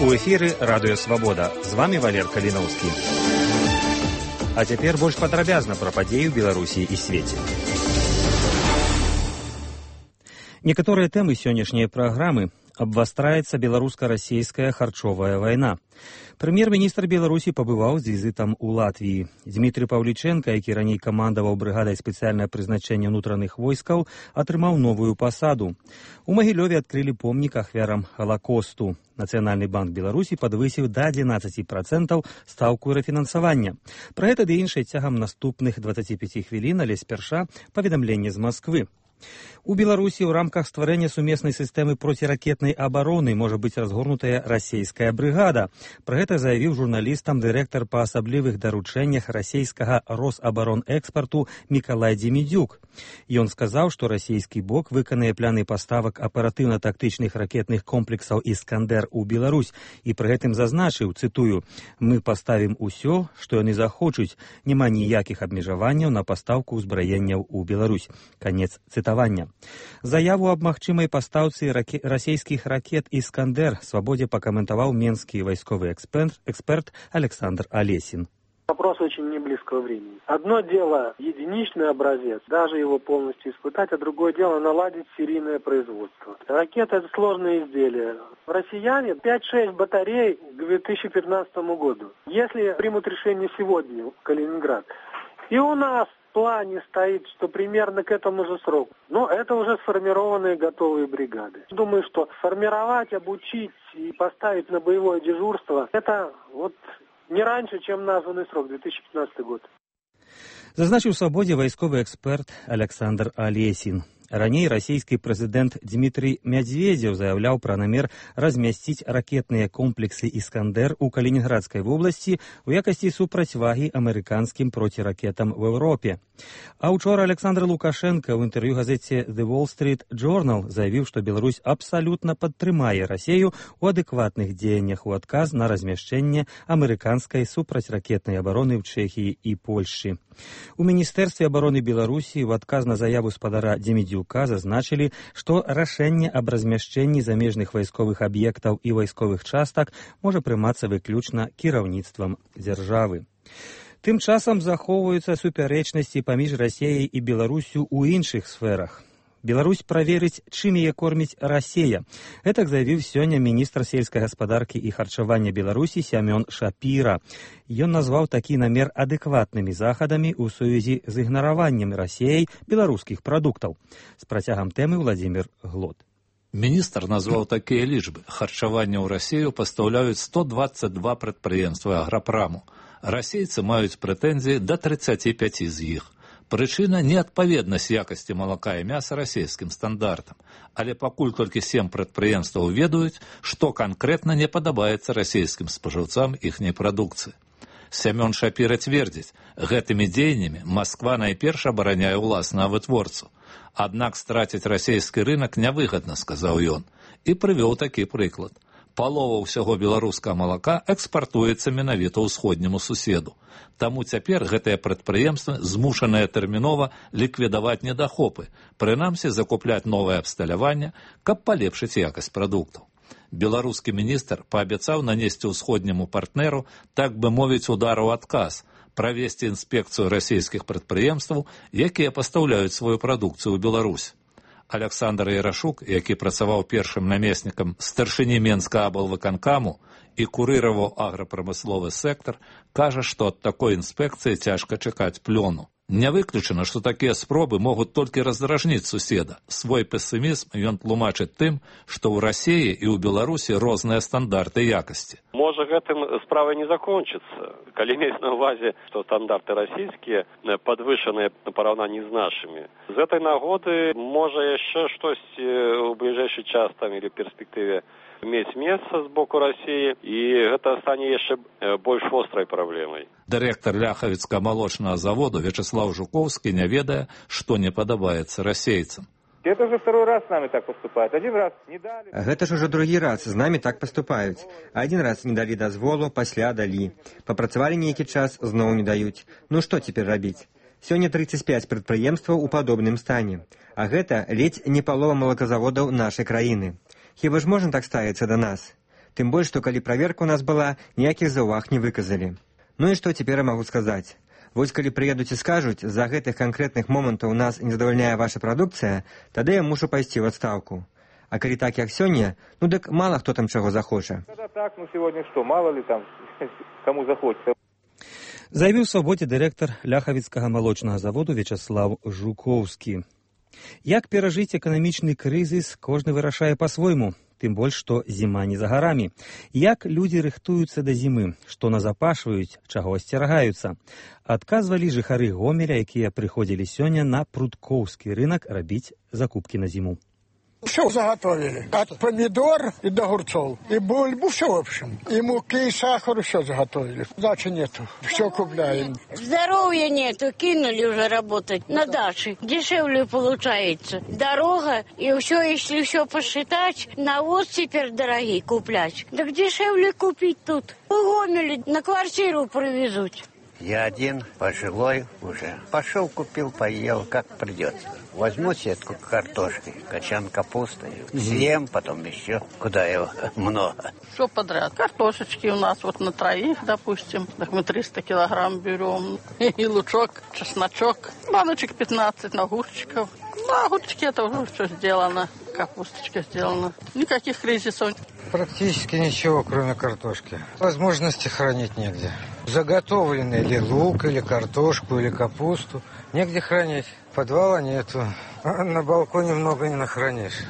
У эфіры радыё Свабода. З вами Валер Каліноўскі. А цяпер больш падрабязна пра падзеі ў Беларусі і свеце. Некаторыя тэмы сённяшняй праграмы. Абвастраецца беларуска-расійская харчовая вайна. Прэм'ер-міністр Беларусі пабываў з візітам у Латвіі. Дмітрый Паўлічэнка, які раней камандаваў брыгадай спецыяльнае прызначэння ўнутраных войскаў, атрымаў новую пасаду. У Магілёве адкрылі помнік ахвярам Халакосту. Нацыянальны банк Беларусі падвысіў да 11% стаўку рэфінансавання. Пра гэта ды іншае цягам наступных 25 хвілін, але спярша паведамленне з Масквы. У Беларусі ў рамках стварэння сумеснай сістэмы проціракетнай абароны можа быць разгорнутая расійская брыгада. Пра гэта заявіў журналістам дырэктар па асаблівых даручэннях расійскага Росабаронэкспарту Мікалай Дземідзюк. Ён сказаў, што расійскі бок выканае пляны паставак аператыўна-тактычных ракетных комплексаў «Іскандер» у Беларусь і пры гэтым зазначыў, цытую, «Мы паставім усё, што яны захочуць, няма ніякіх абмежаванняў на пастаўку ўзбраенняў у Беларусь». Канец цытавання. Заяву аб магчымай пастаўцы расійскіх ракет «Іскандер» Свабодзе пакаментаваў менскі вайсковы эксперт Александр Олесин. Вопрос очень не близкого времени. Одно дело единичный образец, даже его полностью испытать, а другое дело наладить серийное производство. Ракета – это сложное изделие. Россияне 5-6 батарей к 2015 году. Если примут решение сегодня в Калининград, и у нас в плане стоит, что примерно к этому же сроку. Но это уже сформированные готовые бригады. Думаю, что формировать, обучить и поставить на боевое дежурство – это вот не раньше, чем названный срок, 2015 год. Зазначыў у Свабодзе вайсковы эксперт Александр Олесин. Раней расійскі прэзідэнт Дмітрый Мядзведзеў заяўляў пра намер размясціць ракетныя комплексы «Іскандер» у Калінінградскай вобласці ў якасці супрацьвагі амерыканскім проціракетам в Еўропе. А ўчора Александр Лукашенко ў інтэрв'ю газеце The Wall Street Journal заявіў, што Беларусь абсалютна падтрымае Расію ў адэкватных дзеяннях у адказ на размяшчэнне амерыканскай супрацьракетнай абароны ў Чэхіі і Польшчы. У Міністэрстве абароны Беларусі ў адказ на заяву спадара Дземідзюка зазначылі, што рашэнне аб размяшчэнні замежных вайсковых аб'ектаў і вайсковых частак можа прымацца выключна кіраўніцтвам дзяржавы. Тым часам захоўваюцца супярэчнасці паміж Расіяй і Беларусю ў іншых сферах. Беларусь праверыць, чым яе корміць Расія. Гэтак заявіў сёння міністр сельскай гаспадаркі і харчавання Беларусі Сямён Шапіра. Ён назваў такі намер адэкватнымі захадамі ў сувязі з ігнараваннем Расіяй беларускіх прадуктаў. З працягам тэмы Владзімір Глот. Міністр назваў такія лічбы. Харчаванне ў Расію пастаўляюць 122 прадпрыемствы аграпраму. Расейцы маюць прэтэнзіі да 35 з іх. Прычына – неадпаведнасць якасці малака і мяса расійскім стандартам. Але пакуль толькі 7 прадпрыемстваў ведаюць, што канкрэтна не падабаецца расійскім спажыўцам іхняй прадукцыі. Сямён Шапіра цвердзіць, гэтымі дзеяннямі Масква найперш абараняе ўласную вытворцу. Аднак страціць расійскі рынак нявыгадна, сказаў ён, і прывёў такі прыклад. Палова ўсяго беларускага малака экспартуецца менавіта ўсходняму суседу. Таму цяпер гэтыя прадпрыемствы змушаныя тэрмінова ліквідаваць недахопы, прынамсі закупляць новае абсталяванне, каб палепшыць якасць прадуктаў. Беларускі міністр паабяцаў нанесці ўсходняму партнеру, так бы мовіць, удар у адказ, правесці інспекцыю расійскіх прадпрыемстваў, якія пастаўляюць сваю прадукцыю ў Беларусь. Александр Ярашук, які працаваў першым намеснікам старшыні Менскага аблвыканкаму і курыраваў аграпрамысловы сектар, кажа, што ад такой інспекцыі цяжка чакаць плёну. Не выключана, што такія спробы могуць толькі раздражніць суседа. Свой песімізм ён тлумачыць тым, што ў Расіі і ў Беларусі розныя стандарты якасці. Можа, гэтым справа не закончыцца, калі мець на ўвазе, што стандарты расійскія падвышаныя на параўнанні з нашымі. З гэтай нагоды можа яшчэ штосьці ў бліжэйшы час там или перспектыве мець месца з боку Расіі, і гэта стане яшчэ больш вострай праблемай. Дырэктар Ляхавіцкага малочнага заводу Вячеслав Жуковскі не ведае, што не падабаецца расейцам. Это уже второй раз с нами так поступают. Один раз не дали. Гэта ж уже другі раз з нами так поступаюць. Один раз не далі дазволу, пасля далі. Папрацавалі нейкі час, зноў не даюць. Ну што цяпер рабіць? Сёння 35 прадпрыемстваў у падобным стане. А гэта ледзь не палова малаказаводаў нашай краіны. Хіба ж можна так ставіцца да нас? Тым больш, што калі праверка ў нас была, ніякіх заўваг не выказалі. Ну і што цяпер я магу сказаць? Вось калі прыедуць і скажуць, з-за гэтых канкрэтных момантаў нас не задавальняе ваша прадукцыя, тады я мушу пайсці ў адстаўку. А калі так, як сёння, ну дык мала хто там чаго захоча. Когда так, ну сегодня что, мало ли там, кому захочется. Заявіў свабодзе дырэктар Ляхавіцкага малочнага заводу Вячаслав Жукоўскі. Як перажыць эканамічны крызіс, кожны вырашае па-свойму, тым больш, што зіма не за гарамі. Як людзі рыхтуюцца да зімы, што назапашваюць, чаго асцерагаюцца? Адказвалі жыхары Гомеля, якія прыходзілі сёння на Пруткоўскі рынак рабіць закупкі на зіму. Все заготовили. От помидор и до огурцов. И бульбу, все в общем. И муки, и сахар, все заготовили. Дачи нету. Все купляем. Здоровья нету. Кинули уже работать на даче. Дешевле получается. Дорога, и все, если все посчитать, навоз теперь дорогие куплять. Так дешевле купить тут. В Гомеле на квартиру привезут. Я один, пожилой уже. Пошел, купил, поел, как придется. Возьму сетку картошки, качан капусты, съем, потом еще. Куда его много? Все подряд. Картошечки у нас вот на троих, допустим. Так мы 300 килограмм берем. И лучок, чесночок. Баночек 15 огурчиков. На огурчики это уже все сделано. Капусточка сделана. Никаких кризисов. Практически ничего, кроме картошки. Возможности хранить негде. Заготовленный или лук, или картошку, или капусту. Негде хранить. Подвала нету. А на балконе много не нахранишь.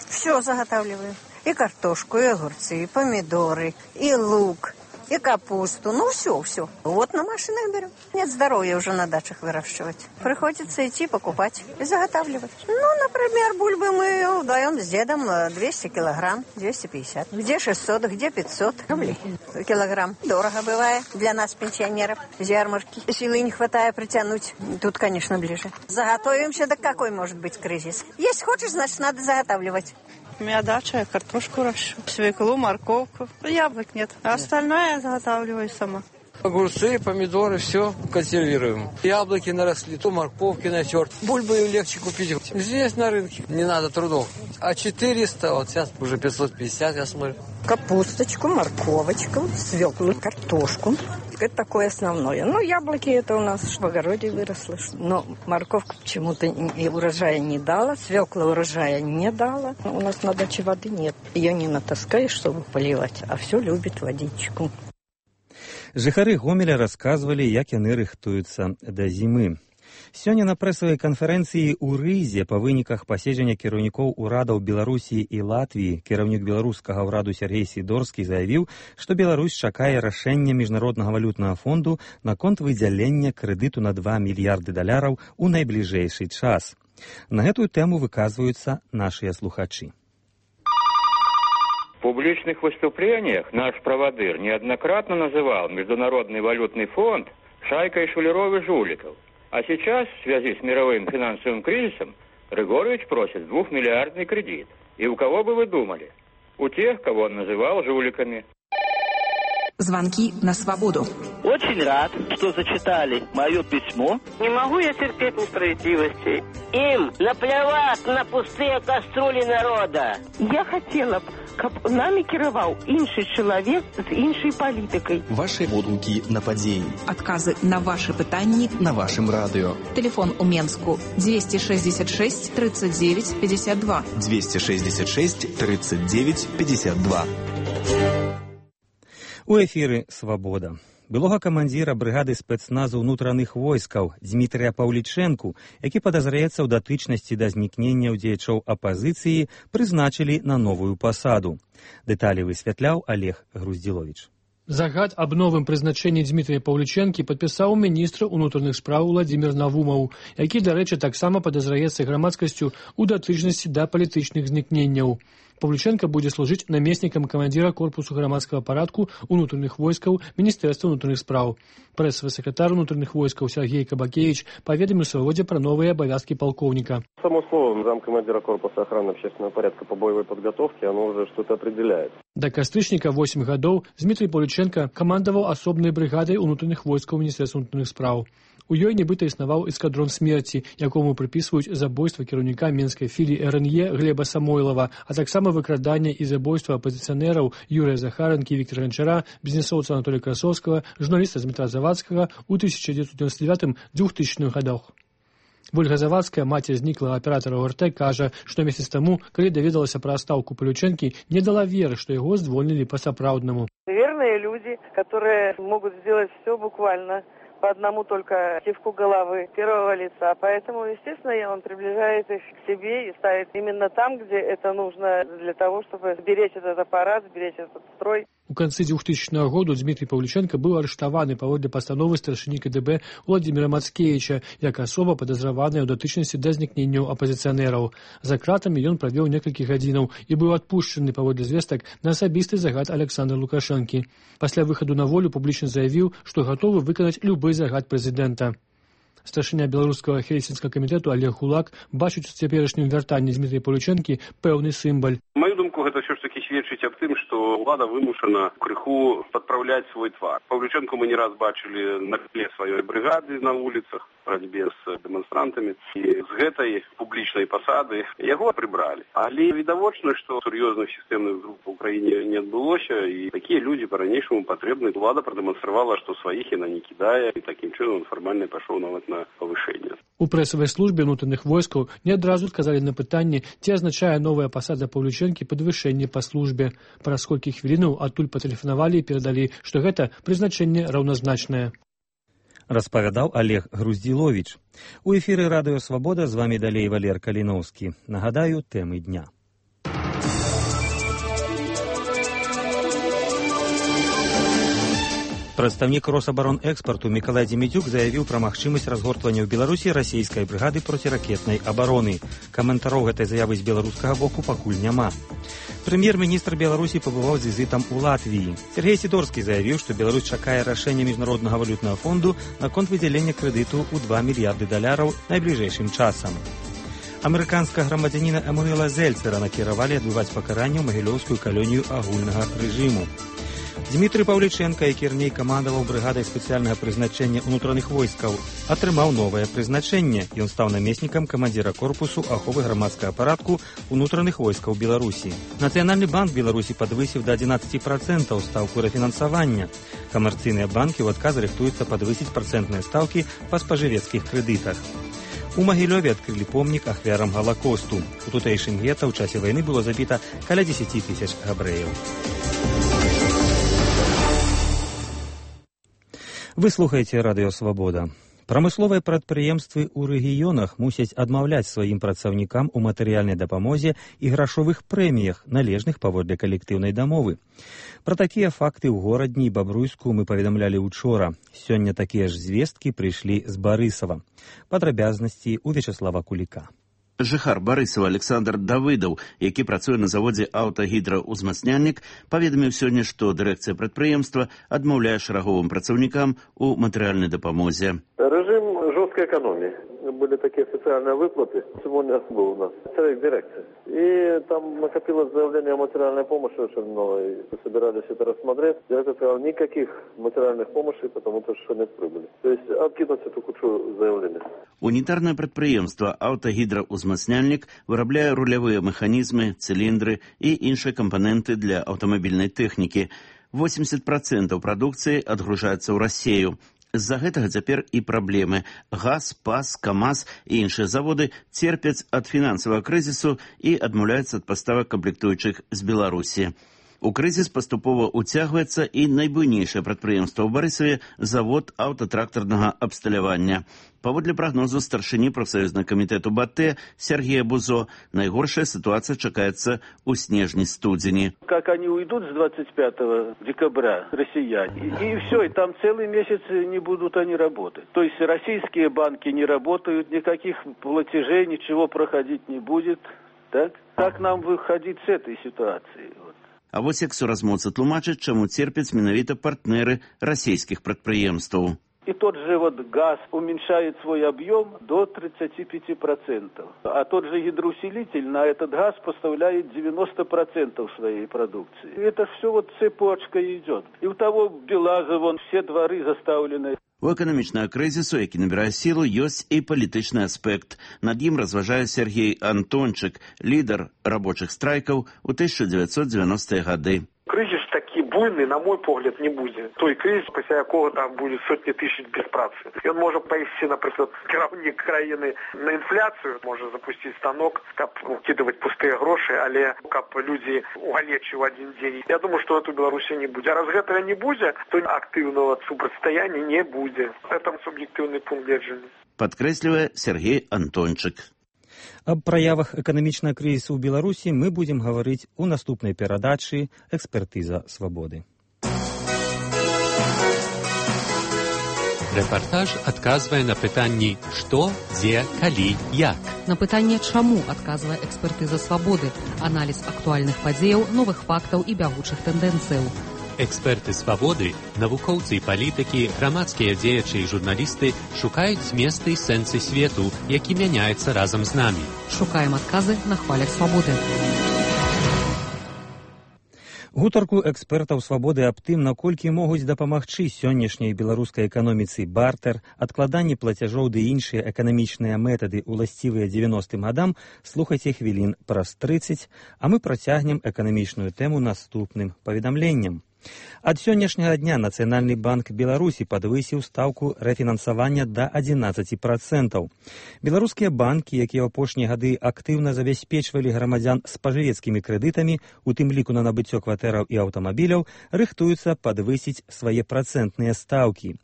Все заготавливаем. И картошку, и огурцы, и помидоры, и лук, и капусту. Ну, все. Вот на машинах берем. Нет здоровья уже на дачах выращивать. Приходится идти покупать и заготавливать. Ну, например, бульбы мы даем с дедом 200 килограмм, 250. Где 600, где 500 рублей килограмм. Дорого бывает для нас, пенсионеров, с ярмарки. Силы не хватает притянуть. Тут, конечно, ближе. Заготовимся, да какой может быть кризис? Если хочешь, значит, надо заготавливать. У меня дача, я картошку ращу, свеклу, морковку. Яблок нет. А остальное я заготавливаю сама. Огурцы, помидоры, все консервируем. Яблоки наросли, то морковки натерт. Бульбы легче купить здесь на рынке. Не надо трудов. А 400, вот сейчас уже 550, я смотрю. Капусточку, морковочку, свеклу, картошку. Это такое основное. Ну, яблоки это у нас в огороде выросло. Но морковка почему-то и урожая не дала, свекла урожая не дала. У нас на даче воды нет. Ее не натаскаешь, чтобы поливать, а все любит водичку. Жыхары Гомеля расказвалі, як яны рыхтуюцца да зімы. Сёння на прэсавай канферэнцыі ў Рызе па выніках паседжання кіраўнікоў урадаў Беларусі і Латвіі кіраўнік беларускага ўраду Сергей Сідорскі заявіў, што Беларусь чакае рашэння Міжнароднага валютнага фонду наконт выдзялення крэдыту на $2 мільярды у найбліжэйшы час. На гэтую тэму выказваюцца нашыя слухачы. В публичных выступлениях наш праводыр неоднократно называл Международный валютный фонд шайкой шулеров и жуликов. А сейчас, в связи с мировым финансовым кризисом, Григорьевич просит 2-миллиардный кредит. И у кого бы вы думали? У тех, кого он называл жуликами. Звонки на свободу. Очень рад, что зачитали мое письмо. Не могу я терпеть несправедливости. Им наплевать на пустые кастрюли народа. Я хотела б, каб нами кіраваў іншы чалавек з іншай палітыкай. Ваши водгукі на падзеі. Адказы на ваши пытанні на вашым радыё. Телефон у Менску 266 39 52. 266 39 52. У эфіры «Свабода». Былога камандзіра брыгады спецназу ўнутраных войскаў Дзмітрыя Паўлічэнку, які падазраецца ў датычнасці да знікнення дзеячоў апазіцыі, прызначылі на новую пасаду. Дэталі высвятляў Олег Груздзіловіч. Загад аб новым прызначэнні Дзмітрыя Паўлічэнкі падпісаў міністр унутраных спраў Владзімір Навумаў, які, дарэчы, таксама падазраецца грамадскасцю ў датычнасці да палітычных знікненняў. Паўлічэнка будзе служыць намеснікам камандзіра корпусу грамадскага парадку унутраных войскаў Міністэрства унутраных спраў. Прэсавы сакратар унутраных войскаў Сергей Кабакевич паведаміў Свабодзе пра новыя абавязкі полковника. Само слово замкомандира корпуса охраны общественного порядка по боевой подготовке, оно уже что-то определяет. Да кастрычніка 8 гадоў Дзмітрый Паўлічэнка камандаваў асобнай брыгадай унутраных войскаў Міністэрства унутраных спраў. У ёй нібыта існаваў эскадрон смерці, якому прыпісваюць забойства кіраўніка менскай філіі РНЕ Глеба Самойлова, а таксама выкраданне і забойства апазіцыянераў Юрыя Захаранкі і Віктора Ганчара, бізнесоўца Анатолія Красовскага, журналіста Дмітра Завадскага ў 1999-2000 годах. Вольга Завадская, маці зніклага аператара ОРТ, кажа, што месяц таму, калі даведалася пра адстаўку Павлючэнкі, не дала веры, што яго звольнілі па-сапраўднаму. Верные люди, которые могут сделать все буквально по одному только кивку головы первого лица. Поэтому, естественно, он приближает их к себе и ставит именно там, где это нужно для того, чтобы сберечь этот аппарат, сберечь этот строй. У канцы 2000 году Дмітрий Павлюченко быў арыштаваны паводле пастановы старшыні КДБ Владимира Мацкевича як асоба падазраваная ў датычнасці да знікненняў апазіцыянераў. За кратамі ён правёў некалькі гадзінаў і быў адпушчаны паводле звестак на асабісты загад Александра Лукашэнкі. Пасля выхаду на волю публічна заявіў, што гатовы выканаць любы загад прэзідэнта. Старшыня беларускага хельсінскага камітэту Олег Гулак бачыць у цяперашнім вяртанні Дмітрия Павлючэнкі пэўны сімбаль. Маю думку, гэта ўсё ж такі сведчыць аб тым, што ўлада вымушана крыху падпраўляць свой твар. Павлючэнку мы не раз бачылі на тле сваёй брыгады на вуліцах, барацьбе з дэманстрантамі, і з гэтай публічнай пасады яго прыбралі. Але відавочна, што сур'ёзных сістэмных груп у краіне не адбылося, і такія людзі па-ранейшаму патрэбны. Улада прадэманстравала, што сваіх яна не кідае, і такім чынам фармальна пайшоў нават на павышэнне. У прэсавай службе ўнутраных войскаў не адразу адказалі на пытанне, ці азначае новая пасада Павлючэнкі падвышэнне па службе. Праз колькі хвілінаў адтуль патэлефанавалі і перадалі, што гэта прызначэнне раўназначнае. Распавядаў Олег Груздзіловіч. У эфіры Радыё Свабода з вамі далей Валер Каліноўскі. Нагадаю, тэмы дня. Прадстаўнік Росабаронэкспарту Мікалай Дземідзюк заявіў пра магчымасць разгортвання ў Беларусі расійскай брыгады проціракетнай абароны. Каментароў гэтай заявы з беларускага боку пакуль няма. Прэм'ер-міністр Беларусі пабываў з візітам у Латвіі. Сергей Сідорскі заявіў, што Беларусь чакае рашэння Міжнароднага валютнага фонду наконт выдзялення крэдыту ў $2 мільярды найбліжэйшым часам. Амерыканскага грамадзяніна Эммануэла Зельцера накіравалі адбываць пакаранне ў магілёўскую калонію агульнага рэжыму. Дмітрий Павліченко, які раней камандаваў брыгадай спецыяльнага прызначэння ўнутраных войскаў, атрымаў новае прызначэнне. Ён стаў намеснікам камандзіра корпусу аховы грамадскага парадку ўнутраных войскаў Беларусі. Нацыянальны банк Беларусі падвысіў да 11% стаўку рэфінансавання. Камерцыйныя банкі ў адказ рыхтуюцца падвысіць працэнтныя стаўкі па спажывецкіх крэдытах. У Магілёве адкрылі помнік ахвярам Галакосту. У тутэйшым гета ў часе вайны было забіта каля 10 000 габрэяў. Вы слухаеце Радыё Свабода. Прамысловыя прадпрыемствы ў рэгіёнах мусяць адмаўляць сваім працаўнікам у матэрыяльнай дапамозе і грашовых прэміях, належных паводле калектыўнай дамовы. Пра такія факты ў горадні і Бабруйску мы паведамлялі учора. Сёння такія ж звесткі прыйшлі з Барысава. Падрабязнасці ў Вячаслава Куліка. Жыхар Барысава Александр Давыдаў, які працуе на заводзе «Аўтагідраузмацняльнік», паведаміў сёння, што дырэкцыя прадпрыемства адмаўляе шараговым працаўнікам у матэрыяльнай дапамозе. Режим жесткой экономии. Были такие социальные выплаты. Сегодня был у нас человек дирекции. И там накопилось заявление о материальной помощи очень много. И собирались это рассмотреть. Директор сказал, никаких материальных помощи, потому что нет прибыли. То есть откинуть эту кучу заявлений. Унітарнае прадпрыемства «Аўтагідраузмацняльнік» вырабляе рулявыя механізмы, цыліндры і іншыя кампаненты для аўтамабільнай тэхнікі. 80% прадукцыі адгружаецца ў Расею. З-за гэтага цяпер і праблемы. ГАЗ, ПАЗ, КАМАЗ і іншыя заводы церпяць ад фінансавага крызісу і адмаўляюцца ад паставак камплектуючых з Беларусі. У крызіс паступова ўцягваецца і найбуйнейшае прадпрыемства ў Барысаве завод аўтатрактарнага абсталявання. Паводле прагнозу старшыні прафсаюзнага камітэту БАТЭ Сергея Бузо, найгоршая ситуация чакаецца ў снежні-студзені. Как они уйдут с 25 декабря, россияне, и все, и там целый месяц не будут они работать. То есть российские банки не работают, никаких платежей, ничего проходить не будет. Так? Как нам выходить с этой ситуации? А вось як суразмоўцы тлумачаць, чаму церпяць менавіта партнеры расійскіх прадпрыемстваў. И тот же газ уменьшает свой объем до 35%. А тот же гидроусилитель на этот газ поставляет 90% своей продукции. И это все цепочка идет. И у того Белаза, все дворы заставлены. У эканамічнага крызісу, які набірае сілу, ёсць і палітычны аспект. Над ім разважае Сергей Антончык, лідар рабочых страйкаў у 1990-е гады. Крызіс такі буйны, на мой погляд, не будзе. Той крызіс, пасля якога там будзе сотні тысяч без працы. Ён можа павесці, напрыклад, кіраўнік краіны на інфляцыю, можа запусціць станок, каб укідываць пустыя грошы, але каб людзі угалечы ў адзін дзень. Я думаю, што гэта ў Беларусі не будзе. А раз гэтага не будзе, то актыўнага супрацьстаяння не будзе. Это суб'ектыўны пункт гледжання. Падкрэслівае Сергей Антончык. Аб праявах эканамічнага крызісу ў Беларусі мы будзем гаварыць у наступнай перадачы «Экспертыза свабоды». Рэпартаж адказвае на пытанні «Што?», «Дзе?», «Калі?», «Як?». На пытанне «Чаму?», адказвае «Экспертыза свабоды», аналіз актуальных падзеяў, новых фактаў і бягучых тэндэнцыяў. Эксперты свабоды, навукоўцы і палітыкі, грамадскія дзеячы і журналісты шукаюць зместы і сэнсы свету, які мяняецца разам з намі. Шукаем адказы на хвалях свабоды. Гутарку экспертаў свабоды аб тым, наколькі могуць дапамагчы сённяшняй беларускай эканоміцы бартэр, адкладанне плацяжоў ды іншыя эканамічныя метады уласцівыя 90-м гадам, слухайце хвілін праз 30, а мы працягнем эканамічную тэму наступным паведамленнем. Ад сённяшняга дня Нацыянальны банк Беларусі падвысіў стаўку рэфінансавання да 11%. Беларускія банкі, якія ў апошнія гады актыўна забяспечвалі грамадзян спажывецкімі крэдытамі, у тым ліку на набыццё кватэраў і аўтамабіляў, рыхтуюцца падвысіць свае працэнтныя стаўкі.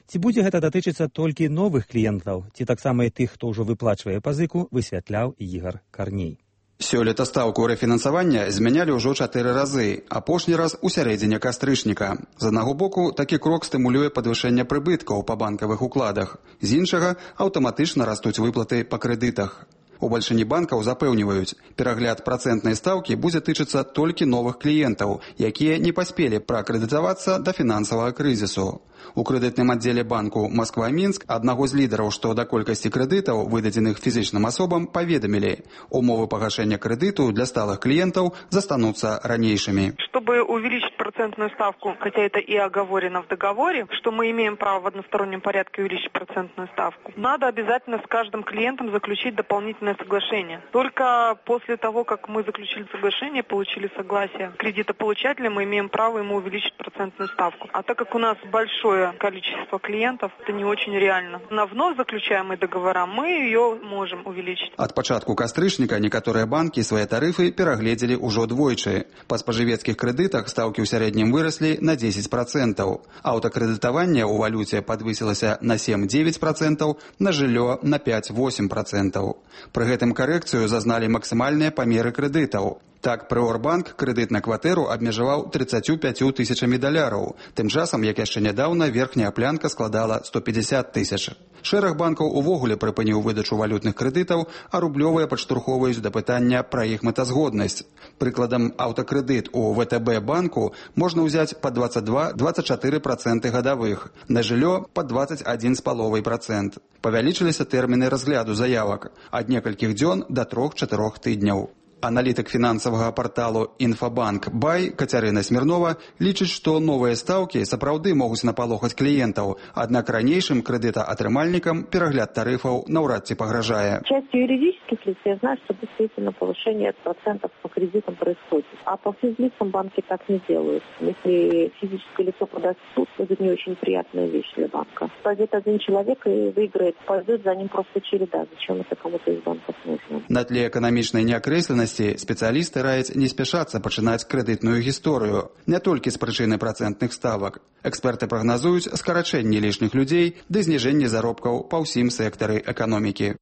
Ці будзе гэта датычыцца толькі новых кліентаў, ці таксама і тых, хто ўжо выплачвае пазыку, высвятляў Ігар Карней. Сёлета стаўку рэфінансавання змянялі ўжо 4 разы, апошні раз у сярэдзіне кастрычніка. З аднаго боку, такі крок стымулюе падвышэнне прыбыткаў па банкавых укладах. З іншага, аўтаматычна растуць выплаты па крэдытах. У бальшыні банкаў запэўніваюць, перагляд працэнтнай стаўкі будзе тычыцца толькі новых кліентаў, якія не паспелі пракрэдытавацца да фінансавага крызісу. У крэдытным аддзеле банку Москва-Мінск аднаго з лідараў, што да колькасці крэдытаў, выдадзеных фізічным асобам, паведамілі, умовы пагашэння крэдыту для сталых клиентов застанутся ранейшими. Чтобы увеличить процентную ставку, хотя это и оговорено в договоре, что мы имеем право в одностороннем порядке увеличить процентную ставку, надо обязательно с каждым клиентом заключить дополнительное соглашение. Только после того, как мы заключили соглашение, получили согласие кредитополучателя, мы имеем право ему увеличить процентную ставку. А так как у нас большое количество клиентов, это не очень реально. На вновь заключаемые договора мы ее можем увеличить. Ад пачатку кастрычніка некаторыя банкі свае тарыфы перагледзелі ўжо двойчы. Па спажывецкіх крэдытах стаўкі ў сярэднім выраслі на 10%. Аўтакрэдытаванне ў валюце падвысілася на 7-9%, на жыллё на 5-8%. Пры гэтым карэкцыю зазналі максімальныя памеры крэдытаў. Так, Прыорбанк крэдыт на кватэру абмежаваў 35 тысячамі даляраў. Тым часам, як яшчэ нядаўна, верхняя планка складала 150 тысяч. Шэраг банкаў увогуле прыпыніў выдачу валютных крэдытаў, а рублёвыя падштурхоўваюць да пытання пра іх мэтазгоднасць. Прыкладам, аўтакрэдыт у ВТБ банку можна ўзяць па 22-24% гадавых, на жыллё па 21,5%. Павялічыліся тэрміны разгляду заявак ад некалькіх дзён да 3-4 тыдняў. Аналітык фінансавага парталу «Інфабанк Бай» Кацярына Смірнова лічыць, што новыя стаўкі сапраўды могуць напалохаць кліентаў, аднак ранейшым крэдытаатрымальнікам перагляд тарыфаў наўрад ці пагражае. Частью юридических лиц я знаю, что действительно повышение процентов по кредитам происходит. А по физлицам банки так не делают. Если физическое лицо подаст в суд, это не очень приятная вещь для банка. Пойдет один человек и выиграет, пойдет за ним просто череда. Зачем это кому-то из банков нужно? На тле эканамічнай неакрэсленасці спецыялісты раяць не спяшацца пачынаць крэдытную гісторыю, не толькі з прычыны працэнтных ставак. Эксперты прагназуюць скарачэнне лішніх людзей ды зніжэнне заробкаў па ўсім сектары эканомікі.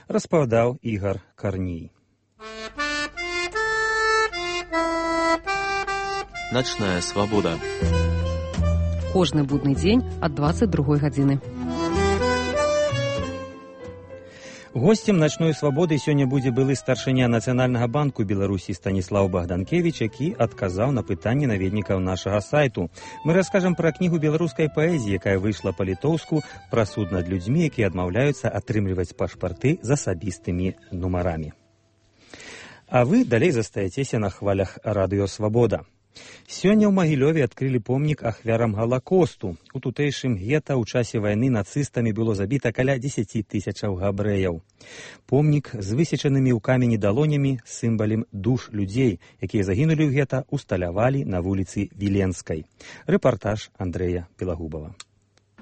Распавядаў Ігар Карней. Начная свабода. Кожны будны дзень ад 22 гадзіны. Госцем начной свабоды сёння будзе былы старшыня Нацыянальнага банку Беларусі Станіслаў Богданкевич, які адказаў на пытанні наведнікаў нашага сайту. Мы раскажам пра кнігу беларускай паэзіі, якая выйшла па-літоўску, пра суд над людзьмі, якія адмаўляюцца атрымліваць пашпарты з асабістымі нумарамі. А вы далей застаецеся на хвалях радыё «Свабода». Сёння ў Магілёве адкрылі помнік ахвярам Галакосту. У тутэйшым гета ў часе вайны нацыстамі было забіта каля 10 тысячаў габрэяў. Помнік з высечанымі ў камені далонямі сімвалем душ людзей, якія загінулі ў гета, усталявалі на вуліцы Віленскай. Рэпартаж Андрэя Белагубова.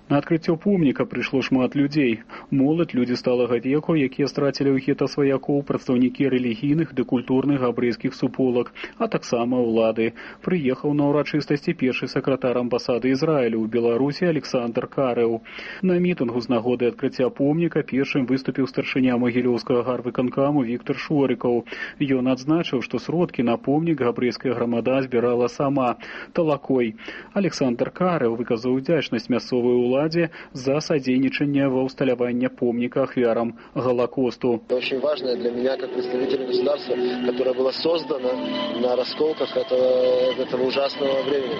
На адкрыццё помніка прыйшло шмат людзей. Моладзь, людзі сталага веку, якія страцілі ў гета сваякоў, прадстаўнікі рэлігійных ды культурных габрэйскіх суполак, а таксама ўлады. Прыехаў на ўрачыстасці першы сакратар амбасады Ізраілю ў Беларусі Александр Карэў. На мітынгу з нагоды адкрыцця помніка першым выступіў старшыня Магілёўскага гарвыканкаму Віктор Шорыкаў. Ён адзначыў, што сродкі на помнік габрэйская грамада збірала сама, талакой. Александр Карэў выказаў удзячнасць мясцовай уладзе за содейничание во усталявании помника ахвярам Голокосту. Очень важное для меня, как представителя государства, которое было создано на расколках этого ужасного времени.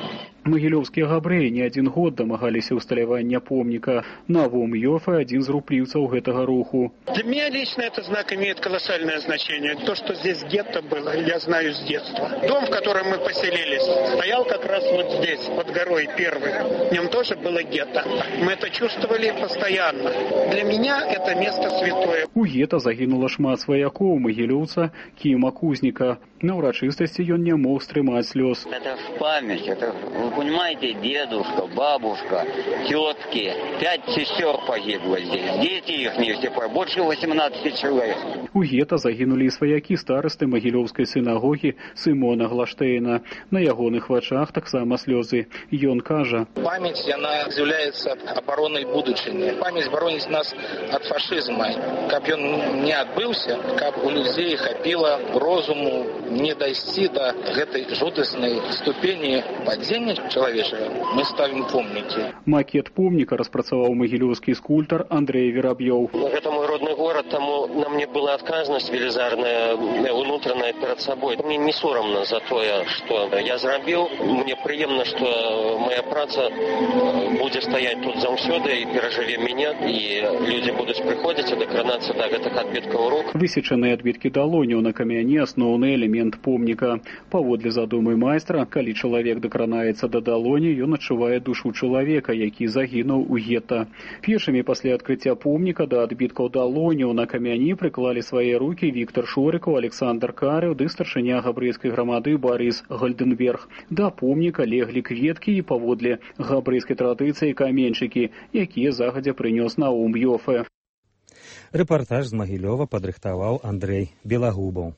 Магілёўскія габрэі не один год дамагаліся ўсталявання помніка. Навум Йофе один з руплівцаў гэтага руху. Для меня лично этот знак имеет колоссальное значение. То, что здесь гетто было, я знаю с детства. Дом, в котором мы поселились, стоял как раз вот здесь, под горой первый. В нем тоже было гетто. Мы это чувствовали постоянно. Для меня это место святое. У гетто загінула шмат сваякоў магілёўца Кіма Кузніка. На ўрачыстасці ён не мог стрымаць слёз. Это в память, это, вы понимаете, дедушка, бабушка, тетки, 5 сестер погибло здесь, дети их не все, больше 18 человек. У гетто загінулі і сваякі старасты Магілёўскай сінагогі Сымона Глаштейна. На ягоных вачах таксама слёзы. Ён кажа: память, она является обороной будучыні. Память боронить нас от фашизма. Каб ён не адбыўся, каб у людзей хапіла розуму не дайсці до гэтай жудаснай ступені падзення чалавечага, мы ставім помнікі. Макет помніка распрацаваў магілёўскі скульптар Андрей Вераб'ёў. Это мой родной город, тому на мне была отказность велизарная, внутренняя перед собой. Мне не соромно за то, что я зрабіў. Мне приемно, что моя праца будет стоять тут заўсёды и переживе меня, и люди будут приходить и докранацца до гэтых адбіткаў рук. Высечаныя адбіткі далоняў на камяні асноўны элемент помніка. Паводле задумы майстра, калі чалавек дакранаецца да далоні, ён адчувае душу чалавека, які загінуў у гетта. Першымі пасля адкрыцця помніка да адбіткаў далоняў на камяні прыклалі свае рукі Віктор Шорыкаў, Александр Карэў ды старшыня габрэйскай грамады Барыс Гальденберг. Да помніка леглі кветкі і паводле габрэйскай традыцыі каменьчыкі, якія загадзя прынёс Навум Йофе. Рэпартаж з Магілёва падрыхтаваў Андрэй Белагубаў.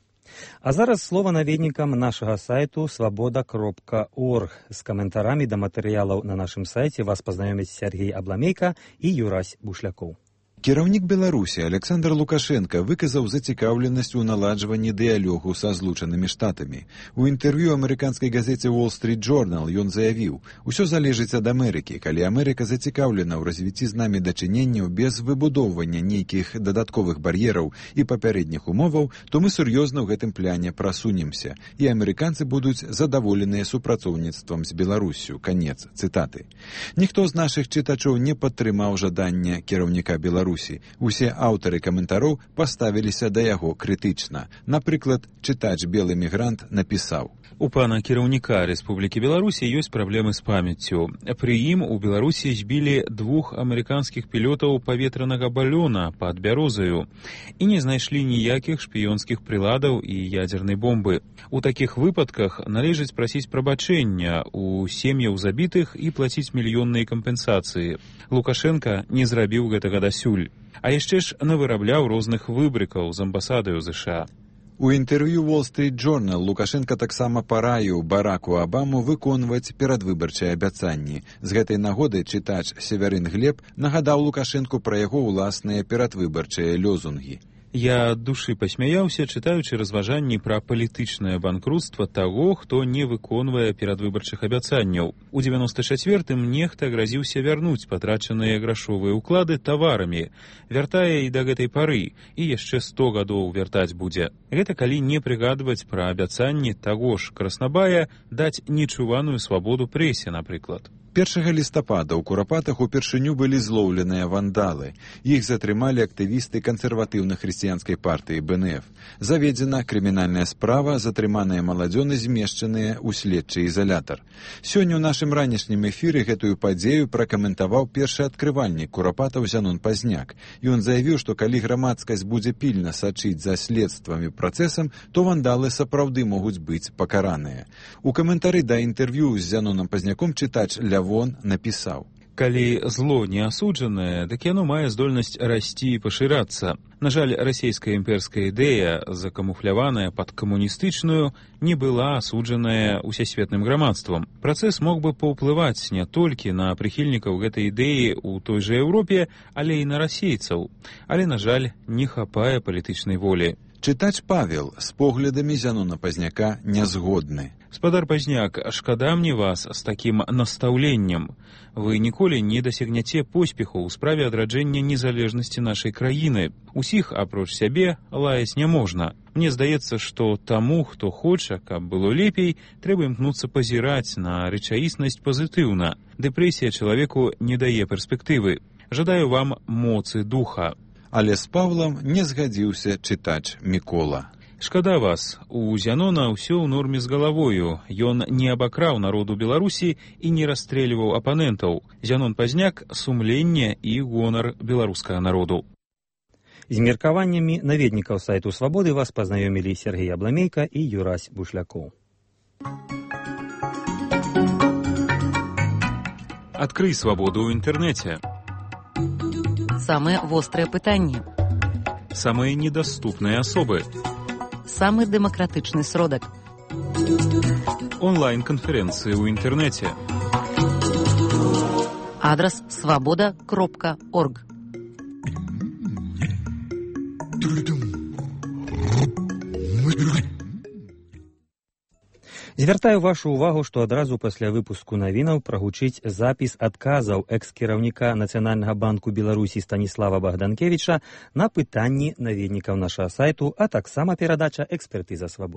А зараз слова наведнікам нашага сайту свабода.орг. З каментарамі да матэрыялаў на нашым сайце вас пазнаёмяць Сергей Абламейка і Юрась Бушлякоў. Кіраўнік Беларусі Александр Лукашенко выказаў зацікаўленасць у наладжванні дыялогу са Злучанымі Штатамі. У інтэрв'ю амерыканскай газеце Wall Street Journal ён заявіў: «Усё залежыць ад Амерыкі. Калі Амерыка зацікаўлена ў развіцці з намі дачыненняў без выбудоўвання нейкіх дадатковых бар'ераў і папярэдніх умоваў, то мы сур'ёзна ў гэтым пляне прасунемся, і амерыканцы будуць задаволеныя супрацоўніцтвам з Беларуссю». Канец цытаты. Ніхто з нашых чытачоў не падтрымаў жадання кіраўніка Беларусі. Усе аўтары каментароў паставіліся да яго крытычна. Напрыклад, чытач «Белы мігрант» напісаў: «У пана кіраўніка Рэспублікі Беларусі ёсць праблемы з памяццю. Пры ім у Беларусі збілі 2 амерыканскіх пілётаў паветранага балёна пад Бярозаю і не знайшлі ніякіх шпіёнскіх прыладаў і ядзернай бомбы. У такіх выпадках належыць прасіць прабачэння у сем'яў забітых і плаціць мільённыя кампенсацыі. Лукашенка не зрабіў гэтага дасюль. А яшчэ ж навырабляў розных выбрыкаў з амбасадаю ЗША». У інтэрв'ю Wall Street Journal Лукашенка таксама параіў Бараку Абаму выконваць перадвыбарчыя абяцанні. З гэтай нагоды чытач Северын Глеб нагадаў Лукашенку пра яго ўласныя перадвыбарчыя лёзунгі. Я ад душы пасмяяўся, чытаючы разважанні пра палітычнае банкрутства таго, хто не выконвае перадвыбарчых абяцанняў. У 94-м нехта гразіўся вярнуць патрачаныя грашовыя ўклады таварамі, вяртае і да гэтай пары, і яшчэ 100 гадоў вяртаць будзе. Гэта калі не прыгадваць пра абяцанні таго ж Краснабая даць нечуваную свабоду прэсе, напрыклад. 1 лістапада ў Курапатах упершыню былі злоўленыя вандалы. Іх затрымалі актывісты кансерватыўна-хрысціянскай партыі БНФ. Заведзена крымінальная справа, затрыманыя маладзёны змешчаныя ў следчы ізалятар. Сёння ў нашым ранішнім эфіры гэтую падзею пракаментаваў першы адкрывальнік Курапатаў Зянон Пазняк. Ён заявіў, што калі грамадскасць будзе пільна сачыць за следствам і працэсам, то вандалы сапраўды могуць быць пакараныя. У каментары да інтэрв'ю з Зяноном Пазняком чытач Лявон напісаў: «Калі зло не асуджанае, дык яно мае здольнасць расці і пашырацца. На жаль, расійская імперская ідэя, закамуфляваная пад камуністычную, не была асуджаная усесветным грамадствам. Працэс мог бы паўплываць не толькі на прыхільнікаў гэтай ідэі ў той жа Еўропе, але і на расейцаў. Але, на жаль, не хапае палітычнай волі». Чытач Павел з поглядамі Зянона Пазняка не згодны. «Спадар Пазняк, шкада мне вас з такім настаўленнем. Вы ніколі не дасягняце поспеху ў справе адраджэння незалежнасці нашай краіны. Усіх, апроч сябе, лаяць не можна. Мне здаецца, што таму, хто хоча, каб было лепей, трэба імкнуцца пазіраць на рэчаіснасць пазітыўна. Дэпрэсія чалавеку не дае перспектывы. Жадаю вам моцы духа». Але з Павлам не згадзіўся чытач Мікола. «Шкада вас, у Зянона ўсё ў норме з галавою. Ён не абакраў народу Беларусі і не расстрэльваў апанентаў. Зянон Пазняк – сумленне і гонар беларускага народу». З меркаваннямі наведнікаў сайту «Свабоды» вас пазнаёмілі Сергей Абламейка і Юрась Бушлякоў. Адкрый свабоду ў інтэрнэце. Самыя вострыя пытанні. Самыя недаступныя асобы. Самы дэмакратычны сродак. Онлайн-канферэнцыі ў інтэрнэце. Адрас свабода.орг. Звяртаю вашу ўвагу, што адразу пасля выпуску навінаў прагучыць запіс адказаў экс-кіраўніка Нацыянальнага банку Беларусі Станіслава Богданкевіча на пытанні наведнікаў нашага сайту, а таксама перадача экспертыза «Свабоды».